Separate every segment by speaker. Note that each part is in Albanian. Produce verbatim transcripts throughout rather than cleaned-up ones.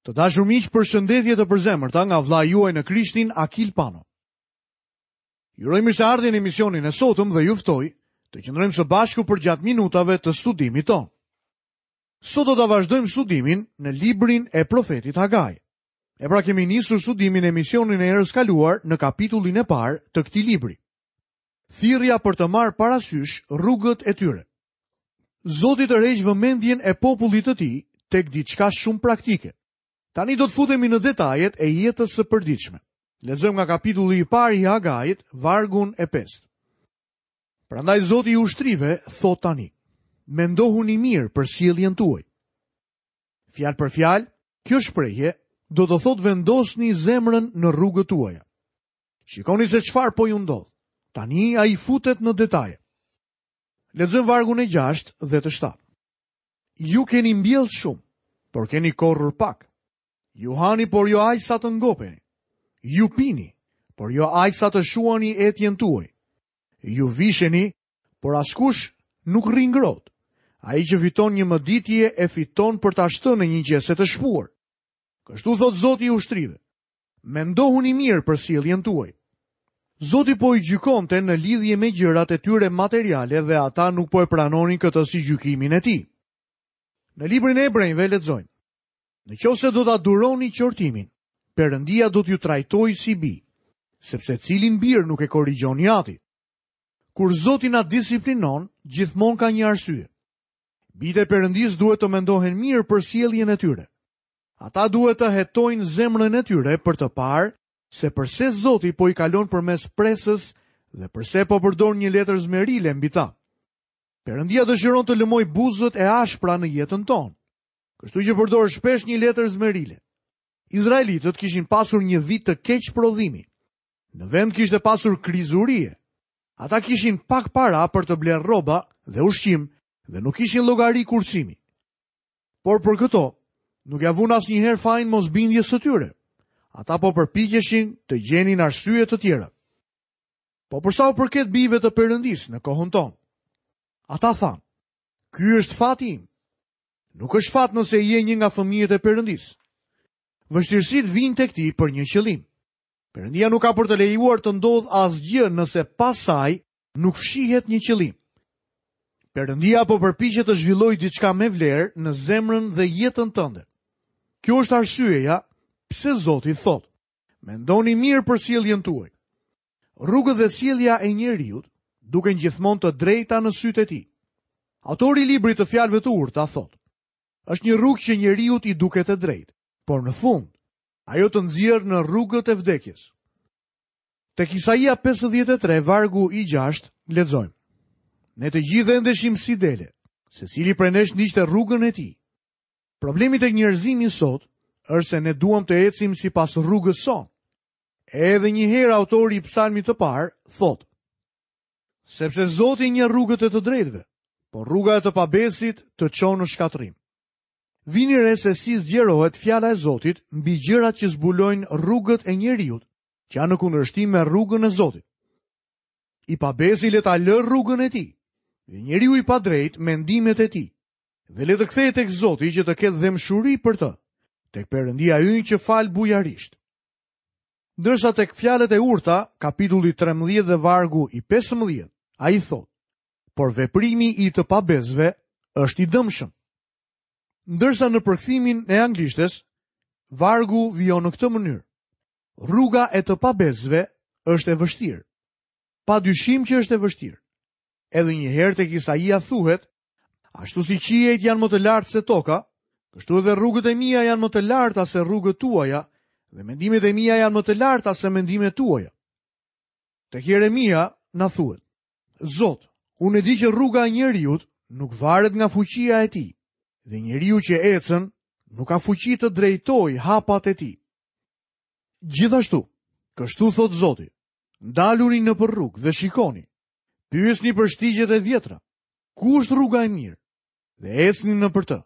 Speaker 1: Të dashur miq, përshëndetje të përzemërta nga vëllai juaj në Krishtin Akil Pano. Ju uroj mirëseardhjen në emisionin e sotëm dhe ju ftoj të qëndrojmë së bashku përgjatë minutave të studimit tonë. Sot do ta vazhdojmë studimin në librin e profetit Hagai. E pra kemi nisur studimin në emisionin e herës kaluar në kapitullin e parë të këtij libri. Thirrja për të marrë parasysh rrugët e tyre. Zoti tërheq vëmendjen e popullit të tij tek diçka shumë praktike. Tani do të futemi në detajet e jetës së përditshme. Lexojmë nga kapitulli i parë i Hagait, vargun e pestë. Prandaj Zoti i ushtrive thotë tani: Mendohuni mirë për sjelljen tuaj. Fjalë për fjalë, kjo shprehje do të thotë vendosni zemrën në rrugët tuaja. Shikoni se çfarë po ju ndodh. Tani ai futet në detaje. Lexojmë vargun e gjashtë dhe të shtatë. Ju keni mbjellë shumë, por keni korrur pak. Ju hani, por jo aq sa të ngopeni. Ju pini, por jo aq sa të shuani etjen tuaj. Ju visheni, por askush nuk rri ngrohtë. Ai që fiton një mëditje e fiton për ta shtënë në një qese të shpuar. Kështu thot Zoti i ushtrive. Mendohuni mirë për sjelljen tuaj. Zoti po i gjykonte në lidhje me gjërat e tyre materiale dhe ata nuk po e pranonin këtë si gjykimin e tij. Në librin e Hebrejve lexojmë: Në qoftë se do ta duroni qortimin, Perëndia do t'ju trajtojë si bi, sepse cilin bir nuk e korrigjon i ati. Kur Zoti na disiplinon, gjithmonë ka një arsye. Bijtë e Perëndisë duhet të mendohen mirë për sjelljen e tyre. Ata duhet të hetojnë zemrën e tyre për të parë se përse Zoti po i kalon përmes presës dhe përse po përdor një letër zmerile mbi ta. Perëndia dëshiron të lëmojë buzët e ashpra në jetën tonë. Kështu që përdor shpesh një letër zmerile. Izraelitët kishin pasur një vit të keq prodhimi. Në vend kishte pasur krizë urie. Ata kishin pak para për të blerë rroba dhe ushqim dhe nuk kishin llogari kursimi. Por për këto, nuk ja vunë asnjëherë fajin mosbindjes së tyre. Ata po përpiqeshin të gjenin arsye të tjera. Po për sa u përket bijve të Perëndisë në kohën tonë, ata thanë: "Ky është fati im." Nuk është fat nëse je një nga fëmijët e Perëndisë. Vështirësitë vijnë tek ti për një qëllim. Perëndia nuk ka për të lejuar të ndodhë asgjë nëse pas saj nuk fshihet një qëllim. Perëndia po përpiqet të zhvillojë diçka me vlerë në zemrën dhe jetën tënde. Kjo është arsyeja pse Zoti thotë: Mendoni mirë për sjelljen tuaj. Rrugët dhe sjellja e njeriut duken gjithmonë të drejta në sytë e tij. Autori i librit të fjalëve të urta thotë: Është një rrugë që njeriut i duket e drejtë, por në fund ajo të nxjerr në rrugët e vdekjes. Tek Isaia pesëdhjetë e tre, vargu i gjashtë, lexojmë: Ne të gjithë endeshim si dele, secili prej nesh ndiqte rrugën e tij. Problemi tek njerëzimi sot është se ne duam të ecim sipas rrugës sonë. Edhe një herë autori i psalmit të parë thotë: Sepse Zoti njeh rrugët e të drejtëve, por rruga e të pabesit të çon në shkatërrim. Vini re se si zgjerohet fjala e Zotit mbi gjërat që zbulojnë rrugët e njeriut, që janë në kundërshtim me rrugën e Zotit. I pabesi le ta lërë rrugën e tij, dhe njeriu i padrejt mendimet e tij, dhe le të kthehet tek Zoti që të ketë dhembshuri për të, tek Perëndia ynë që fal bujarisht. Ndërsa tek fjalët e urta, kapitulli trembëdhjetë dhe vargu i pesëmbëdhjetë, ai thotë: Por veprimi i të pabesëve është i dëmshëm. Ndërsa në përkthimin e anglishtes, vargu vijon në këtë mënyrë: Rruga e të pabesëve është e vështirë. Pa dyshim që është e vështirë. Edhe një herë tek Isaia thuhet: Ashtu si qiejt janë më të lartë se toka, kështu edhe rrugët e mia janë më të larta se rrugët tuaja, dhe mendimet e mia janë më të larta se mendimet tuaja. Tek Jeremia na thuhet: Zot, unë e di që rruga e njeriut nuk varet nga fuqia e tij, dhe njeriu që ecën nuk ka fuqi të drejtojë hapat e tij. Gjithashtu, kështu thot Zoti: Ndaluni nëpër rrugë dhe shikoni, pyesni për shtigjet e vjetra, ku është rruga e mirë, dhe ecni nëpër të.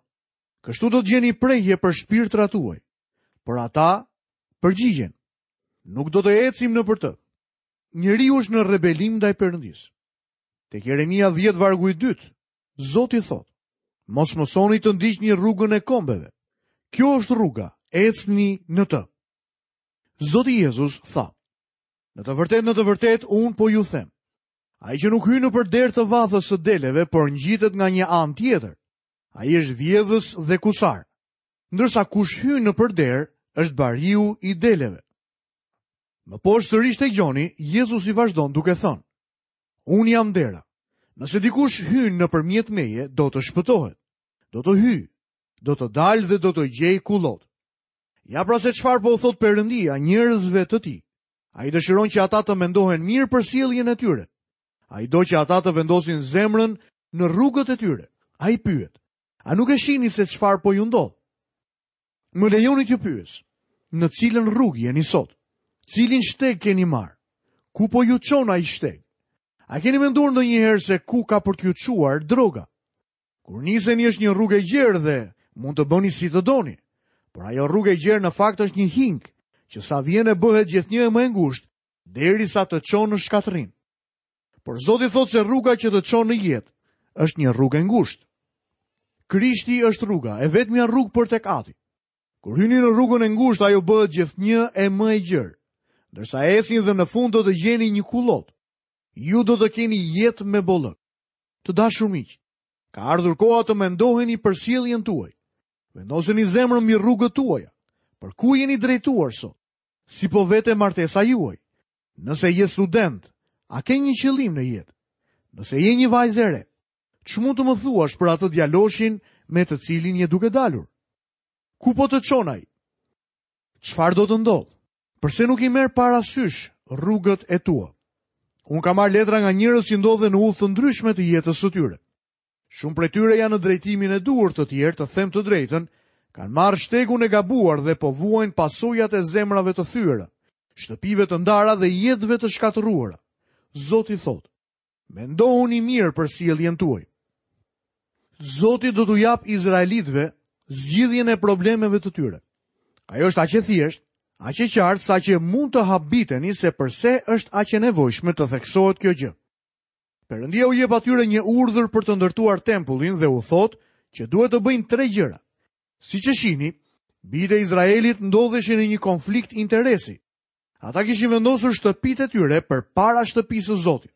Speaker 1: Kështu do të gjeni prehje për shpirtrat tuaj. Por ata përgjigjen: Nuk do të ecim nëpër të. Njeriu është në rebelim ndaj Perëndisë. Tek Jeremia dhjetë vargu i dytë, Zoti thotë: Mos mësoni të ndiqni rrugën e kombeve. Kjo është rruga Ecni në të. Zoti Jezus tha: Në të vërtetë, në të vërtetë, unë po ju them, ai që nuk hyn nëpër derë të vathës së deleve, por ngjitet nga një anë tjetër, ai është vjedhës dhe kusar. Ndërsa kush hyn nëpër derë, është bariu i deleve. Më poshtë sërish tek Gjoni, Jezusi vazhdon duke thënë: Unë jam dera. Nëse dikush hyn nëpërmjet meje, do të shpëtohet. Do të hyjë, do të dalë dhe do të gjejë kullot. Ja pra se çfarë po u thot Perëndia njerëzve të tij. Ai dëshiron që ata të mendohen mirë për sjelljen e tyre. Ai do që ata të vendosin zemrën në rrugët e tyre. Ai pyet: A nuk e shihni se çfarë po ju ndodh? Më lejoni t'ju pyes, në cilën rrugë jeni sot? Cilin shteg keni marrë? Ku po ju çon ai shteg? A keni menduar ndonjëherë se ku ka për t'ju çuar droga? Kur niseni është një rrugë e gjerë dhe mund të bëni si të doni, por ajo rrugë e gjerë në fakt është një hink që sa vjen e bëhet gjithnjë e më e ngushtë derisa të çon në shkatërrim. Por Zoti thotë se rruga që të çon në jetë është një rrugë e ngushtë. Krishti është rruga, e vetmja rrugë për tek Ati. Kur hyni në rrugën e ngushtë, ajo bëhet gjithnjë e më e gjerë. Ndërsa ecni dhe në fund do të gjeni një kullot. Ju do të keni jetë me bollëk. Të dashur miq, ka ardhur koha të mendoheni për sjelljen tuaj. Vendoseni zemrën mbi rrugët tuaja. Për ku jeni drejtuar sot? Si po vete martesa juaj? Nëse je student, a ke një qëllim në jetë? Nëse je një vajzë e re, ç'mund të më thuash për atë djaloshin me të cilin je duke dalur? Ku po të çon ai? Çfarë do të ndodhë? Përse nuk i merr parasysh rrugët e tua? Unë kam marrë letra nga njerëz që ndodhen në udhë të ndryshme të jetës së tyre. Shumë prej tyre janë në drejtimin e duhur, të tjerë, të them të drejtën, kanë marrë shtegun e gabuar dhe po vuajnë pasojat e zemrave të thyera, shtëpive të ndara dhe jetëve të shkatërruara. Zoti thotë: Mendohuni mirë për sjelljen tuaj. Zoti do t'u jap izraelitëve zgjidhjen e problemeve të tyre. Ajo është aq e thjeshtë, aq e qartë sa që mund të habiteni se përse është aq e nevojshme të theksohet kjo gjë. Perëndia u jep atyre një urdhër për të ndërtuar tempullin dhe u thotë që duhet të bëjnë tre gjëra. Siç e shihni, bijtë e Izraelit ndodheshin në një konflikt interesi. Ata kishin vendosur shtëpitë e tyre përpara shtëpisë së Zotit.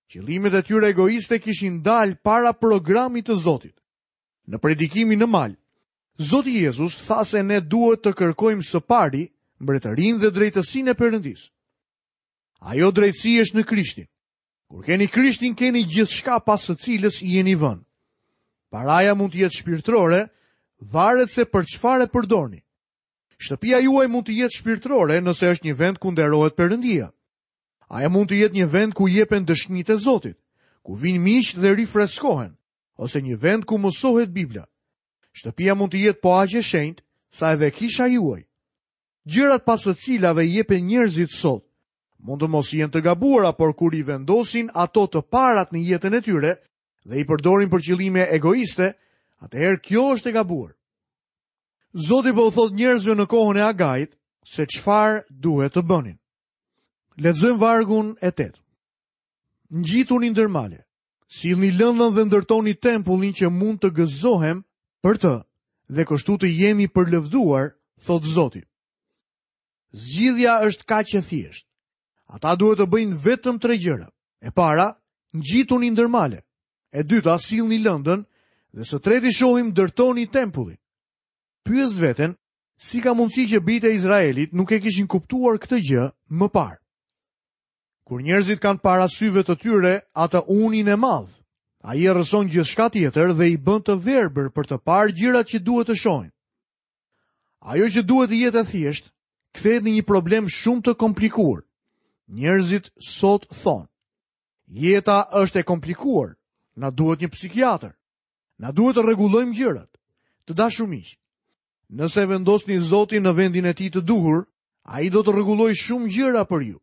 Speaker 1: Qëllimet e tyre egoiste kishin dalë para programit të Zotit. Në predikimin në mal, Zoti Jezus tha se ne duhet të kërkojmë së pari mbretërinë dhe drejtësinë e Perëndisë. Ajo drejtësi është në Krishtin. Kur keni Krishtin, keni gjithçka pas së cilës jeni vënë. Paraja mund të jetë shpirtërore, varet se për çfarë e përdorni. Shtëpia juaj mund të jetë shpirtërore nëse është një vend ku nderohet Perëndia. Ajo mund të jetë një vend ku jepen dëshmitë e Zotit, ku vinë miq dhe rifreskohen, ose një vend ku mësohet Bibla. Shtëpia mund të jetë po aq e shenjtë sa edhe kisha juaj. Gjërat pas së cilave jepen njerëzit sot mund të mos jenë të gabuara, por kur i vendosin ato të parat në jetën e tyre dhe i përdorin për qëllime egoiste, atëherë kjo është e gabuar. Zoti po u thot njerëzve në kohën e Agait se çfarë duhet të bënin. Lexojmë vargun e tetë. Ngjituni ndër male, sillni lëndën dhe ndërtoni tempullin që mund të gëzohem për të dhe kështu të jemi përlëvduar, thot Zoti. Zgjidhja është kaq e thjeshtë. Ata duhet të bëjnë vetëm tre gjëra. E para, ngjituni ndër male. E dyta, sillni lëndën dhe së treti shohim ndërtoni tempullin. Pyes veten, si ka mundësi që bijtë e Izraelit nuk e kishin kuptuar këtë gjë më parë? Kur njerëzit kanë para syve të tyre atë unin e madh, ai errëson gjithçka tjetër dhe i bën të verbër për të parë gjërat që duhet të shohin. Ajo që duhet të jetë e thjeshtë, kthehet në një problem shumë të komplikuar. Njerëzit sot thonë, jeta është e komplikuar, na duhet një psikiatër, na duhet të rregullojmë gjërat. Të dashur miq, nëse vendosni Zotin në vendin e tij të duhur, ai do të rregullojë shumë gjëra për ju.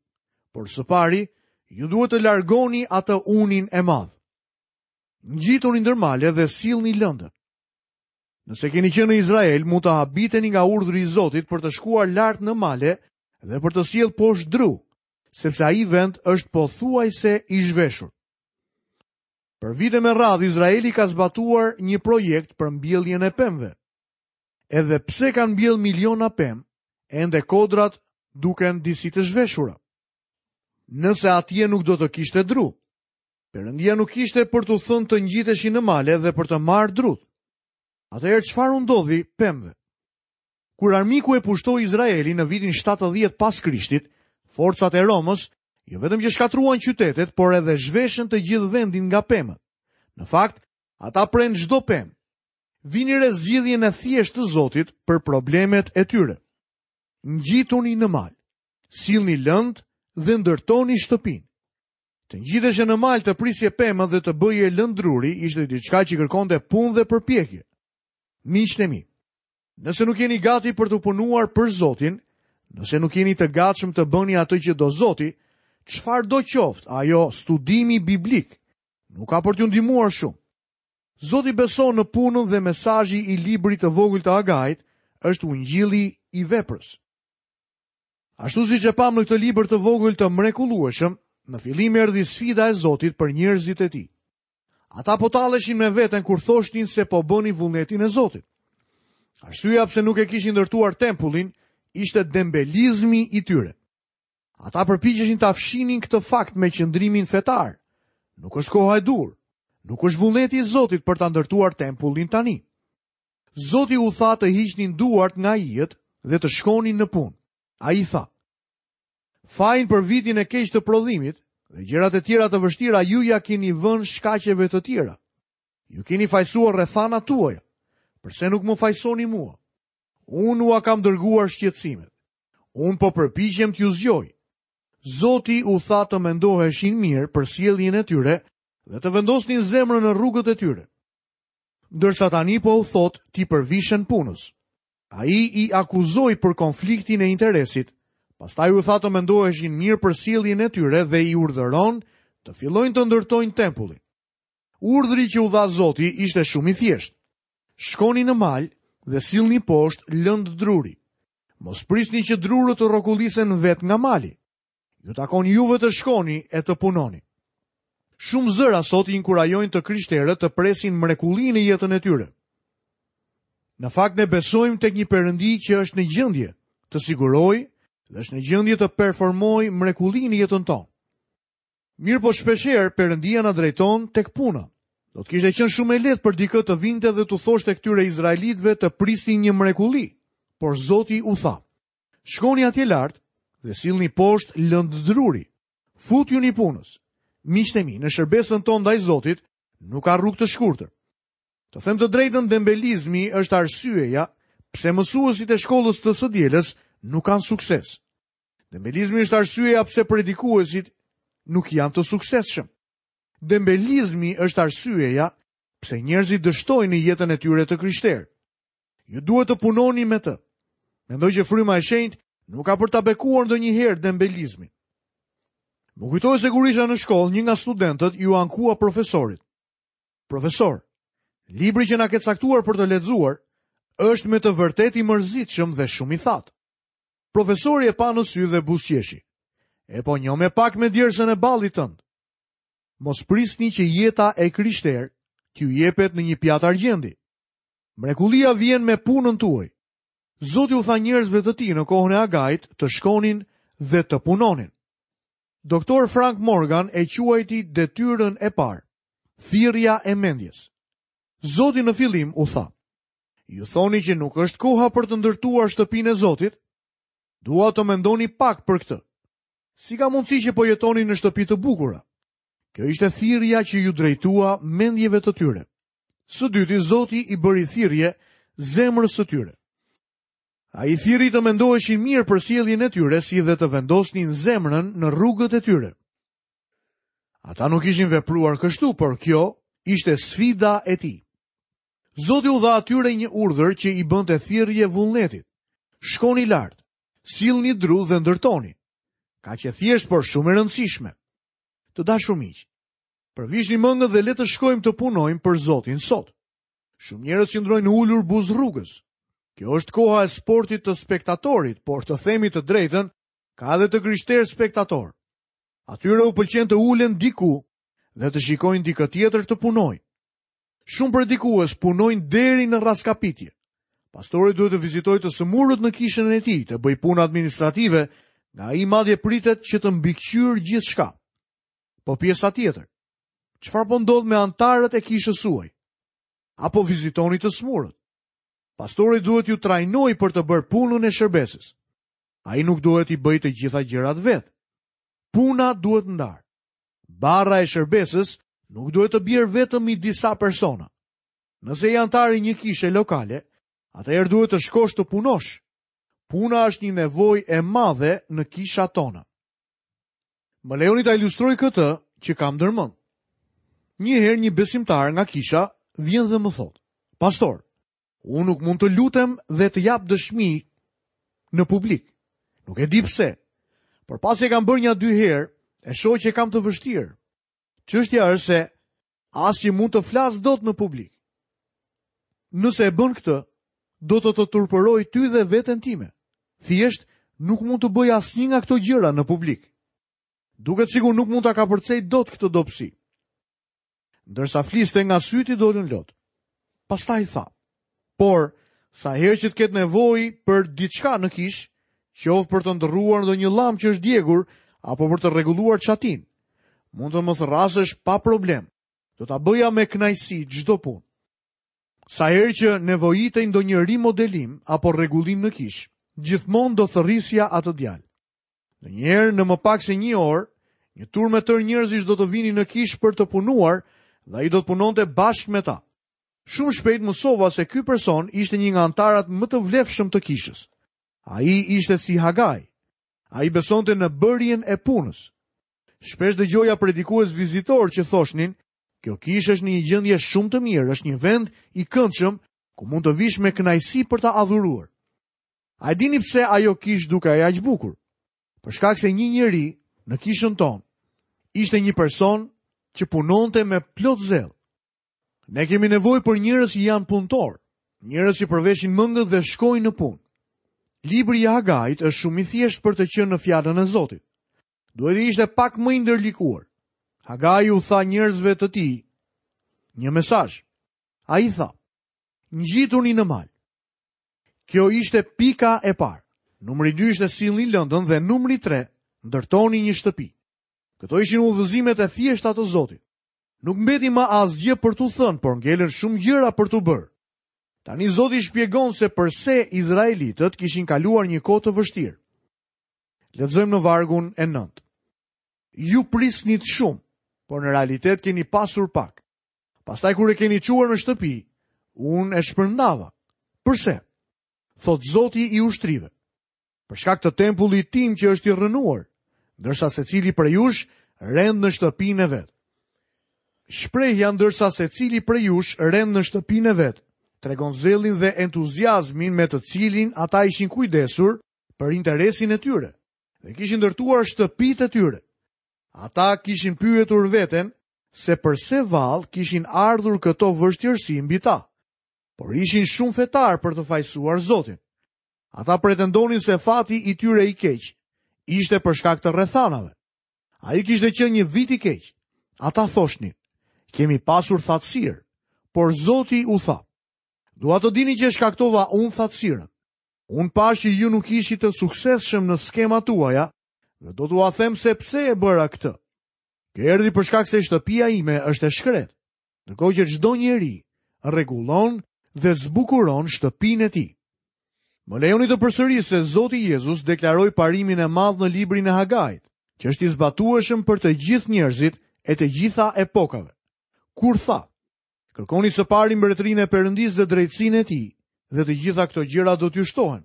Speaker 1: Por së pari, ju duhet të largoni atë unin e madh. Ngjituni ndër male dhe sillni lëndën. Nëse keni qenë në Izrael, mund të habiteni nga urdhri i Zotit për të shkuar lart në male dhe për të sjellë poshtë dru, sepse ai vend është pothuajse i zhveshur. Për vite me radhë, Izraeli ka zbatuar një projekt për mbjelljen e pemëve. Edhe pse kanë mbjellë miliona pemë, ende kodrat duken disi të zhveshura. Nëse atje nuk do të kishte dru, Perëndia nuk kishte për t'u thënë të ngjiteshin në male dhe për të marrë drut. Atëherë çfarë u ndodhi pemëve? Kur armiku e pushtoi Izraelin në vitin shtatëdhjetë pas Krishtit, forcat e Romës jo vetëm që shkatruan qytetet, por edhe zhveshën të gjithë vendin nga pemët. Në fakt, ata prenë çdo pemë. Vini re zgjidhjen e thjeshtë të Zotit për problemet e tyre. Ngjituni në mal, sillni lëndë dhe ndërtoni shtëpinë. Të ngjiteshe në mal të prisje pemët dhe të bëje lëndë druri ishte diçka që kërkonte punë dhe përpjekje. Miqtë e mi, nëse nuk jeni gati për të punuar për Zotin, nëse nuk jeni të gatshëm të bëni atë që do Zoti, çfarë do qoftë ajo studimi biblik, nuk ka për t'ju ndihmuar shumë. Zoti beson në punën dhe mesazhi i librit të vogël të Agait është ungjilli i veprës. Ashtu siç e pam në këtë libër të vogël të mrekullueshëm, në fillim erdhi sfida e Zotit për njerëzit e tij. Ata po talleshin me veten kur thoshnin se po bënin vullnetin e Zotit. Arsyeja pse nuk e kishin ndërtuar tempullin ishte dembelizmi i tyre. Ata përpiqeshin ta fshinin këtë fakt me qëndrimin fetar. Nuk është koha e duhur. Nuk është vullneti i Zotit për ta ndërtuar tempullin tani. Zoti u tha të hiqnin duart nga ijet dhe të shkonin në punë. Ai tha: Fajin për vitin e keq të prodhimit dhe gjërat e tjera të vështira ju ja keni vënë shkaqeve të tjera. Ju keni fajsuar rrethanat tuaja. Përse nuk më fajsoni mua? Unë ua kam dërguar shqetësimet. Unë po përpiqem t'ju zgjoj. Zoti u tha të mendoheshin mirë për sjelljen e tyre dhe të vendosnin zemrën në rrugët e tyre. Ndërsa tani po u thot t'i përvishen punës. Ai i akuzoi për konfliktin e interesit, pastaj u tha të mendoheshin mirë për sjelljen e tyre dhe i urdhëron të fillojnë të ndërtojnë tempullin. Urdhri që u dha Zoti ishte shumë i thjeshtë. Shkoni në mal dhe sillni poshtë lëndë druri. Mos prisni që drurët të rrokullisen vetë nga mali. Ju takon juve të shkoni e të punoni. Shumë zëra sot i inkurajojnë të krishterët të presin mrekullinë në jetën e tyre. Në fakt ne besojmë tek një Perëndi që është në gjendje të sigurojë dhe është në gjendje të performojë mrekullinë në jetën tonë. Mirë po shpeshherë Perëndia na drejton tek puna. Do të kishte qenë shumë e lehtë për dikë të vinte dhe t'u thoshte këtyre izraelitëve të prisnin një mrekulli, por Zoti u tha: Shkoni atje lart dhe sillni poshtë lëndë druri. Futjuni punës. Miqtë e mi, në shërbesën tonë ndaj Zotit nuk ka rrugë të shkurtër. Të them të drejtën, dembelizmi është arsyeja pse mësuesit e shkollës të së dielës nuk kanë sukses. Dembelizmi është arsyeja pse predikuesit nuk janë të suksesshëm. Dembelizmi është arsyeja pse njerëzit dështojnë në jetën e tyre të krishterë. Ju duhet të punoni me të. Mendoj që fryma e shenjtë nuk ka për ta bekuar ndonjëherë dembelizmin. Më kujtohet se kur isha në shkollë, një nga studentët iu ankua profesorit. Profesor, libri që na ke caktuar për të lexuar është me të vërtetë i mërzitshëm dhe shumë i thatë. Profesori e pa në sy dhe buzëqeshi. E po njoh me pak me djersën e ballit tënd. Mos prisni që jeta e krishterë t'ju jepet në një pjatë argjendi. Mrekullia vjen me punën tuaj. Zoti u tha njerëzve të tij në kohën e Agait të shkonin dhe të punonin. Doktor Frank Morgan e quajti detyrën e parë, thirrja e mendjes. Zoti në fillim u tha: Ju thoni që nuk është koha për të ndërtuar shtëpinë e Zotit? Dua të mendoni pak për këtë. Si ka mundësi që po jetoni në shtëpi të bukura? Kjo ishte thirrja që ju drejtua mendjeve të tyre. Së dyti, Zoti i bëri thirrje zemrës së tyre. Ai thirri të mendoheshin mirë për sjelljen e tyre, si dhe të vendosnin zemrën në rrugët e tyre. Ata nuk ishin vepruar kështu, por kjo ishte sfida e tij. Zoti u dha atyre një urdhër që i bënte thirrje vullnetit. Shkoni lart, sillni dru dhe ndërtoni. Kaq e thjeshtë, por shumë e rëndësishme. Të dashur miq, përvishni mendën dhe le të shkojmë të punojmë për Zotin sot. Shumë njerëz qëndrojnë ulur buzë rrugës. Kjo është koha e sportit të spektatorit, por të themi të drejtën, ka edhe të krishterë spektator. Atyre u pëlqen të ulen diku dhe të shikojnë dikë tjetër të punojë. Shumë predikues punojnë deri në rraskapitje. Pastori duhet të vizitojë të sëmurët në kishën e tij, të bëjë punë administrative, nga ai madje pritet që të mbikëqyrë gjithçka. Po pjesa tjetër, çfarë po ndodh me anëtarët e kishës suaj? Apo vizitoni të sëmurët? Pastori duhet t'ju trajnojë për të bërë punën e shërbesës. Ai nuk duhet t'i bëjë të gjitha gjërat vetë. Puna duhet ndarë. Barra e shërbesës nuk duhet të bjerë vetëm i disa persona. Nëse je antar i një kishe lokale, atëherë duhet të shkosh të punosh. Puna është një nevojë e madhe në kishat tona. Më lejoni ta ilustroj këtë që kam ndërmend. Një herë një besimtar nga kisha vjen dhe më thotë: "Pastor, unë nuk mund të lutem dhe të jap dëshmi në publik. Nuk e di pse, por pasi e kam bërë një dy herë, e shoh që e kam të vështirë. Çështja është se as që mund të flas dot në publik. Nëse e bën këtë, do të të turpëroj ty dhe veten time. Thjesht nuk mund të bëj asnjë nga këto gjëra në publik. Duket sikur nuk mund ta kapërcej dot këtë dobësi." Ndërsa fliste, nga sytë i dolën lot. Pastaj tha: "Por sa herë që të ketë nevojë për diçka në kish, qoftë për të ndërruar ndonjë llambë që është djegur apo për të rregulluar çatin, mund të më thërrasësh pa problem. Do ta bëja me kënaqësi çdo punë." Sa herë që nevojitej ndonjë rimodelim apo rregullim në kish, gjithmonë do thërrisja atë djalë. Ndonjëherë në më pak se një orë, një turmë e tërë njerëzish do të vinin në kish për të punuar dhe ai do të punonte bashkë me ta. Shumë shpejt mësova se ky person ishte një nga anëtarët më të vlefshëm të kishës. Ai ishte si Hagai. Ai besonte në bërjen e punës. Shpesh dëgjoja predikues vizitor që thoshnin: "Kjo kishë është në një gjendje shumë të mirë, është një vend i këndshëm ku mund të vish me kënaqësi për ta adhuruar." A e dini pse ajo kishë dukej aq bukur? Për shkak se një njeri në kishën tonë ishte një person që punonte me plot zell. Ne kemi nevojë për njerëz që janë punëtor, njerëz që përveshin mëngët dhe shkojnë në punë. Libri i Hagait është shumë i thjeshtë për të qenë në fjalën e Zotit. Duhet të ishte pak më i ndërlikuar. Hagai u tha njerëzve të tij një mesazh. Ai tha: "Ngjituni në mal." Kjo ishte pika e parë. Numri dy ishte sillni lëndën dhe numri tre, ndërtoni një shtëpi. Këto ishin udhëzimet e thjeshta të Zotit. Nuk mbeti më asgjë për t'u thënë, por ngelën shumë gjëra për t'u bërë. Tani Zoti shpjegon se përse izraelitët kishin kaluar një kohë të vështirë. Lexojmë në vargun e nëntë. Ju prisnit shumë, por në realitet keni pasur pak. Pastaj kur e keni çuar në shtëpi, unë e shpërndava. Përse? Thot Zoti i ushtrive. Për shkak të tempullit tim që është i rrënuar, ndërsa secili prej jush rend në shtëpinë e vet. Shprehja ndërsa secili prej jush rend në shtëpinë e vet tregon zellin dhe entuziazmin me të cilin ata ishin kujdesur për interesin e tyre dhe kishin ndërtuar shtëpitë e tyre. Ata kishin pyetur veten se përse vallë kishin ardhur këto vështirësi mbi ta, por ishin shumë fetar për të fajësuar Zotin. Ata pretendonin se fati i tyre i keq ishte për shkak të rrethanave. Ai kishte qenë një vit i keq. Ata thoshnin: "Kemi pasur thatësirë", por Zoti u tha: "Dua të dini që shkaktova unë thatësirën. Unë pash që ju nuk ishit të suksesshëm në skemat tuaja dhe do t'ua them se pse e bëra këtë. Kjo erdhi për shkak se shtëpia ime është e shkretë, ndërkohë që çdo njeri rregullon dhe zbukuron shtëpinë e tij." Më lejoni të përsëris se Zoti Jezus deklaroi parimin e madh në librin e Hagait, që është i zbatueshëm për të gjithë njerëzit e të gjitha epokave. Kur tha: "Kërkoni së pari mbretërinë e Perëndisë dhe drejtësinë e tij, dhe të gjitha këto gjëra do t'ju shtohen."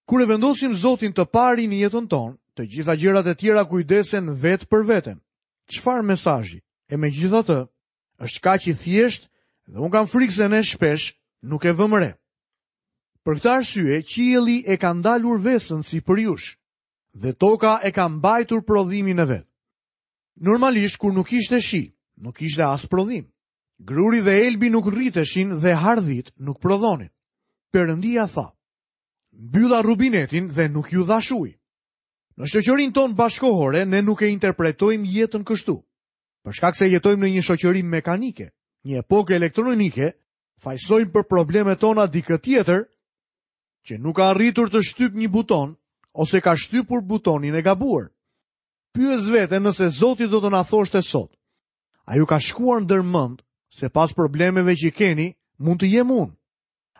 Speaker 1: Kur e vendosim Zotin të pari në jetën tonë, të gjitha gjërat e tjera kujdesen vetë për veten. Çfarë mesazhi? E megjithatë, është kaq i thjeshtë dhe unë kam frikë se ne shpesh nuk e vëmë re. Për këtë arsye, qielli e ka ndalur vesën si për jush, dhe toka e ka mbajtur prodhimin e vet. Normalisht, kur nuk ishte shi, nuk ishte as prodhim. Gruri dhe elbi nuk rriteshin dhe hardhit nuk prodhonin. Perëndia tha: "Mbylla rubinetin dhe nuk ju dhash ujë." Në shoqërinë tonë bashkohore ne nuk e interpretojmë jetën kështu. Për shkak se jetojmë në një shoqëri mekanike, një epokë elektronike, Fajësojmë për problemet tona dikë tjetër që nuk ka arritur të shtyp një buton ose ka shtypur butonin e gabuar. Pyes veten nëse Zoti do të na thoshte sot: A ju ka shkuar ndër mend se pas problemeve që keni, mund të jem unë?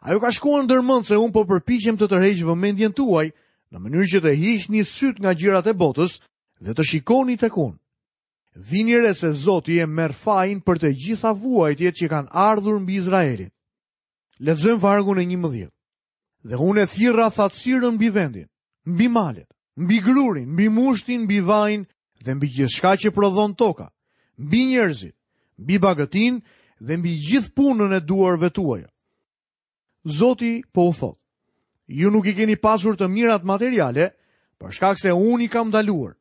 Speaker 1: A ju ka shkuar ndër mend se unë po përpiqem të tërheq vëmendjen tuaj në mënyrë që të hiqni syt nga gjërat e botës dhe të shikoni tek unë? Vini re se Zoti e merr fajin për të gjitha vuajtjet që kanë ardhur mbi Izraelin. Lexojmë vargun e njëmbëdhjetë. Dhe unë e thirra thatësirën mbi vendin, mbi malet, mbi grurin, mbi mushtin, mbi vajin dhe mbi gjithçka që prodhon toka, mbi njerëzit, mbi bagëtin dhe mbi gjithë punën e duarve tuaja. Zoti po u thotë: Ju nuk i keni pasur të mirat materiale, për shkak se unë i kam ndaluar.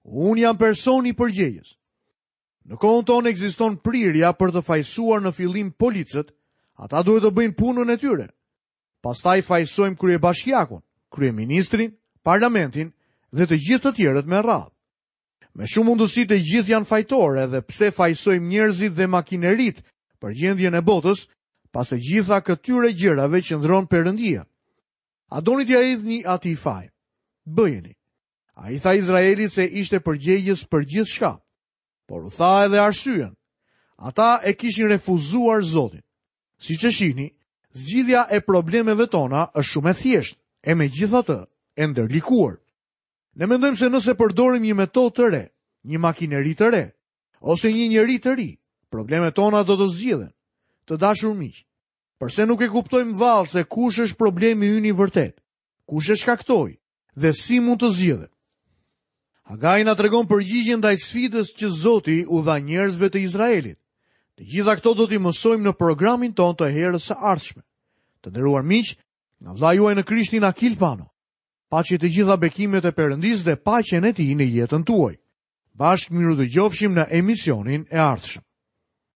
Speaker 1: Unë jam personi përgjegjës. Në kohën tonë ekziston prirja për të fajësuar në fillim policët, ata duhet të bëjnë punën e tyre. Pastaj fajësojmë kryebashkiakun, kryeministrin, parlamentin dhe të gjithë të tjerët me radhë. Me shumë mundësi të gjithë janë fajtorë, edhe pse fajësojmë njerëzit dhe makinerit për gjendjen e botës, pas të gjitha këtyre gjërave qëndron Perëndia. A doni t'ia hidhni atij fajin? Bëjeni. Ai tha Izraelit se ishte përgjegjës për gjithçka, por u tha edhe arsyen. Ata e kishin refuzuar Zotin. Siç e shihni, zgjidhja e problemeve tona është shumë e thjeshtë, e megjithatë e ndërlikuar. Ne mendojmë se nëse përdorim një metodë të re, një makineri të re, ose një njeri të ri, problemet tona do të zgjidhen. Të dashur miq, përse nuk e kuptojmë vallë se kush është problemi ynë i vërtet, kush e shkaktoi dhe si mund të zgjidhet? Hagai na tregon përgjigjen ndaj sfidës që Zoti u dha njerëzve të Izraelit. Të gjitha këto do t'i mësojmë në programin tonë të herës së ardhshme. Të nderuar miq, nga vëllai juaj në Krishtin Akil Pano. Paçi të gjitha bekimet e Perëndisë dhe paqen e tij në jetën tuaj. Bashkë mirudëgjofshim në emisionin e ardhshëm.